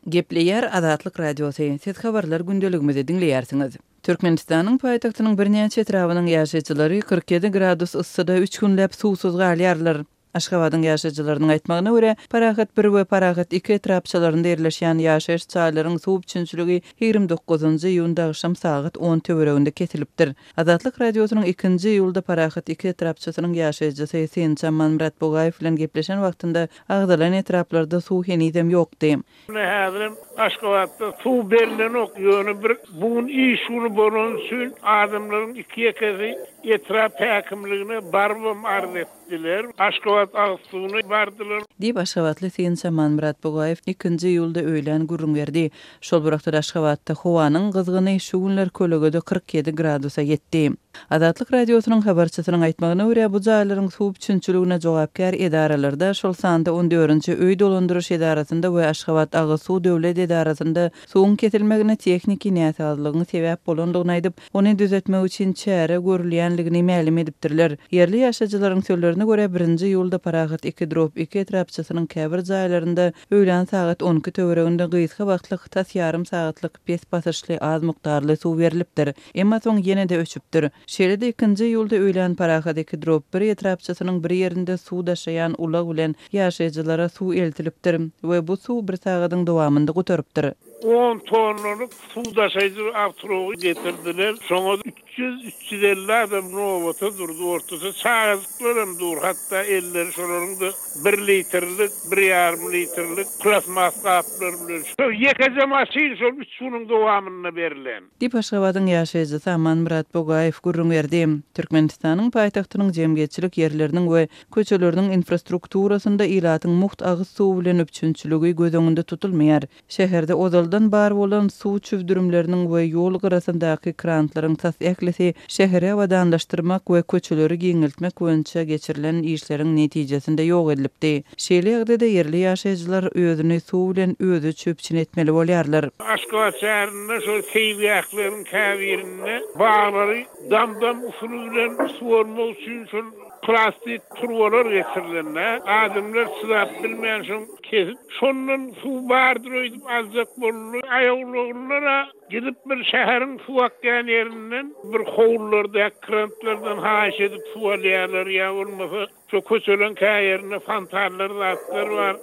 Gepleýär Azatlyk Radiosy, Siz habarlar gündeligimizi diňleýärsiňiz. Türkmenistanyň paýtagtynyň birnäçe etrabynyň ýaşaýjylary 47 gradus yssyda üç günläp suwsuz galýarlar. Aşgabadyň ýaşaýjylarynyň aýtmagyna görä, Parahat bir we Parahat iki etrapçalarynda ýerleşýän ýaşaýyş jaýlaryň suw üpjünçiligi 29 iýunda agşam sagat on töwereginde kesilipdir. Azatlyk Radiosynyň ikinji iýulda Parahat iki etrapçasynyň ýaşaýjysy synçy Amanmyrat Bugaýew bilen gepleşen wagtynda agzalan etraplarda suw henizem ýokdy. Ine häzirem Aşgabatda suw berlenok, ýöne bir bu gün iş güni bolany üçin adamlaryň iki-ýekesi etrap häkimligine barybam arz etdiler. Aşgabat agyz suwuna bardylar. Diýip, aşgabatly synçy Amanmyrat Bugaýew ikinji iýulda öýlän gürrüň berdi. Şol bir wagtda Aşgabatda howanyň gyzgyny şu günler kölegede 47 gradusa ýetdi. Azatlyk Radiosynyň habarçysynyň aýtmagyna görä, bu jaýlaryň suw üpjünçiligine jogapkär edaralarda, şol sanda on dördünji öý dolandyryş edarasynda we Aşgabat agyz suw döwlet edarasynda suwuň kesilmegine tehniki näsazlygyň sebäp bolandygyny aýdyp, ony düzetmek üçin çäre görülýänligini mälim edipdirler. Ýerli ýaşaýjylaryň sözlerine görä, birinji iýulda Parahat iki drop iki etrapçasynyň käbir jaýlarynda öýlän sagat on iki töwereginde gysga wagtlyk, tas ýarym sagatlyk pes basyşly az mukdarly suw berlipdir. Emma soň ýene-de öçüpdir. Şeýle-de ikinji iýulda öýlän Parahat iki drop bir etrapçasynyň bir ýerinde suw daşaýan ulag bilen ýaşaýjylara suw eltilipdir we bu suw bir sagadyň dowamynda gutarypdyr. On tonnalyk suw daşaýjy awtoulagy getirdiler. Şoňa 300, 350 adam nobata durdy. Ortada çagajyklar hem dur. Hatda elleri şolaryň-da bir litrlik, bir ýarym litrlik plastmas gaplar bilen. Şol ýekeje maşyn şol üç günüň dowamynda berlen. Diýip, Aşgabadyň ýaşaýjysy Amanmyrat Bogaýew gürrüň berdi. Türkmenistanyň paýtagtynyň jemgyýetçilik ýerleriniň we köçeleriniň infrastrukturasynda ilatyň mugt agyz suwy bilen üpjünçiligi göz öňünde tutulmaýar. Şäherde ozaldan bar bolan suw çüwdürimleriniň we ýol gyrasyndaky krantlaryň tas ählisi şäheri abadanlaşdyrmak we köçeleri giňeltmek boýunça geçirilen işleriň netijesinde ýok edilipdi. Şeýle ýagdaýda ýerli ýaşaýjylar özüni suw bilen özüçe üpjün etmeli bolýarlar. Aşgabat şäherinde şol seýilgähleriň käbirinde baglary dam-dam usuly bilen suwarmak üçin şol plastik turbalar geçirilende, adamlar çydap bilmän şoň kesip, şondan suw bardyr öýdüp aljak boldy. Aýawlaglylar-a gidip bir şäheriň suw akýan ýerinden bir howlulardaky krantlardan haýyş edip suw alýarlar ýa bolmasa Şo köçeleň kä ýerinde fontanlar zatlar bar.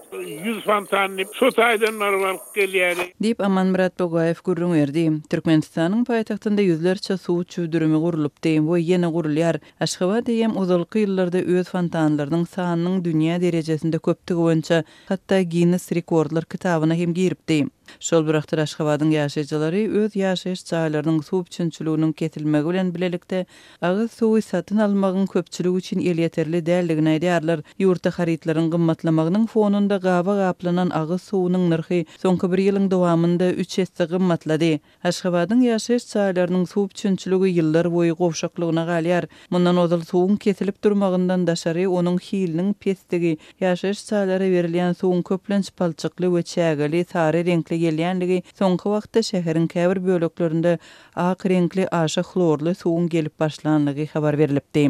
100 fontan diýip, şo taýdan baryp alyp gelýädi. Diýip, Amanmyrat Bogaýew gürrüň berdi. Türkmenistanyň paýtagtynda ýüzlerçe suw çüwdürimi gurlupdy we ýene gurulýar. Aşgabat eýýäm ozalky ýyllarda öz fontanlarynyň sanynyň dünýä derejesinde köpdügi boýunça hatda Ginnes rekordlar kitabyna hem giripdi. Şol bir wagtda Aşgabadyň ýaşaýjylary öz ýaşaýyş jaýlarynyň suw üpjünçiliginiň kesilmegi bilen bilelikde Agyz suwy satyn almagyň köpçülik üçin elýeterli däldigini aýdýarlar. Ýurtda harytlaryň gymmatlamagynyň fonunda gaba gaplanan agyz suwunyň nyrhy soňky bir ýylyň dowamynda üç esse gymmatlady. Aşgabadyň ýaşaýyş jaýlarynyň suw üpjünçiligi ýyllar boýy gowşaklygyna galýar. Mundan ozal suwuň kesilip durmagyndan daşary, onuň hiliniň pesdigi, ýaşaýyş jaýlara berilýän suwuň köplenç palçykly we çägeli, sary reňkli gelýänligi soňky wagtda şäheriň käbir böleklerinde Ak reňkli aşa hlorly suwuň gelip başlanlygy habar berlipdi.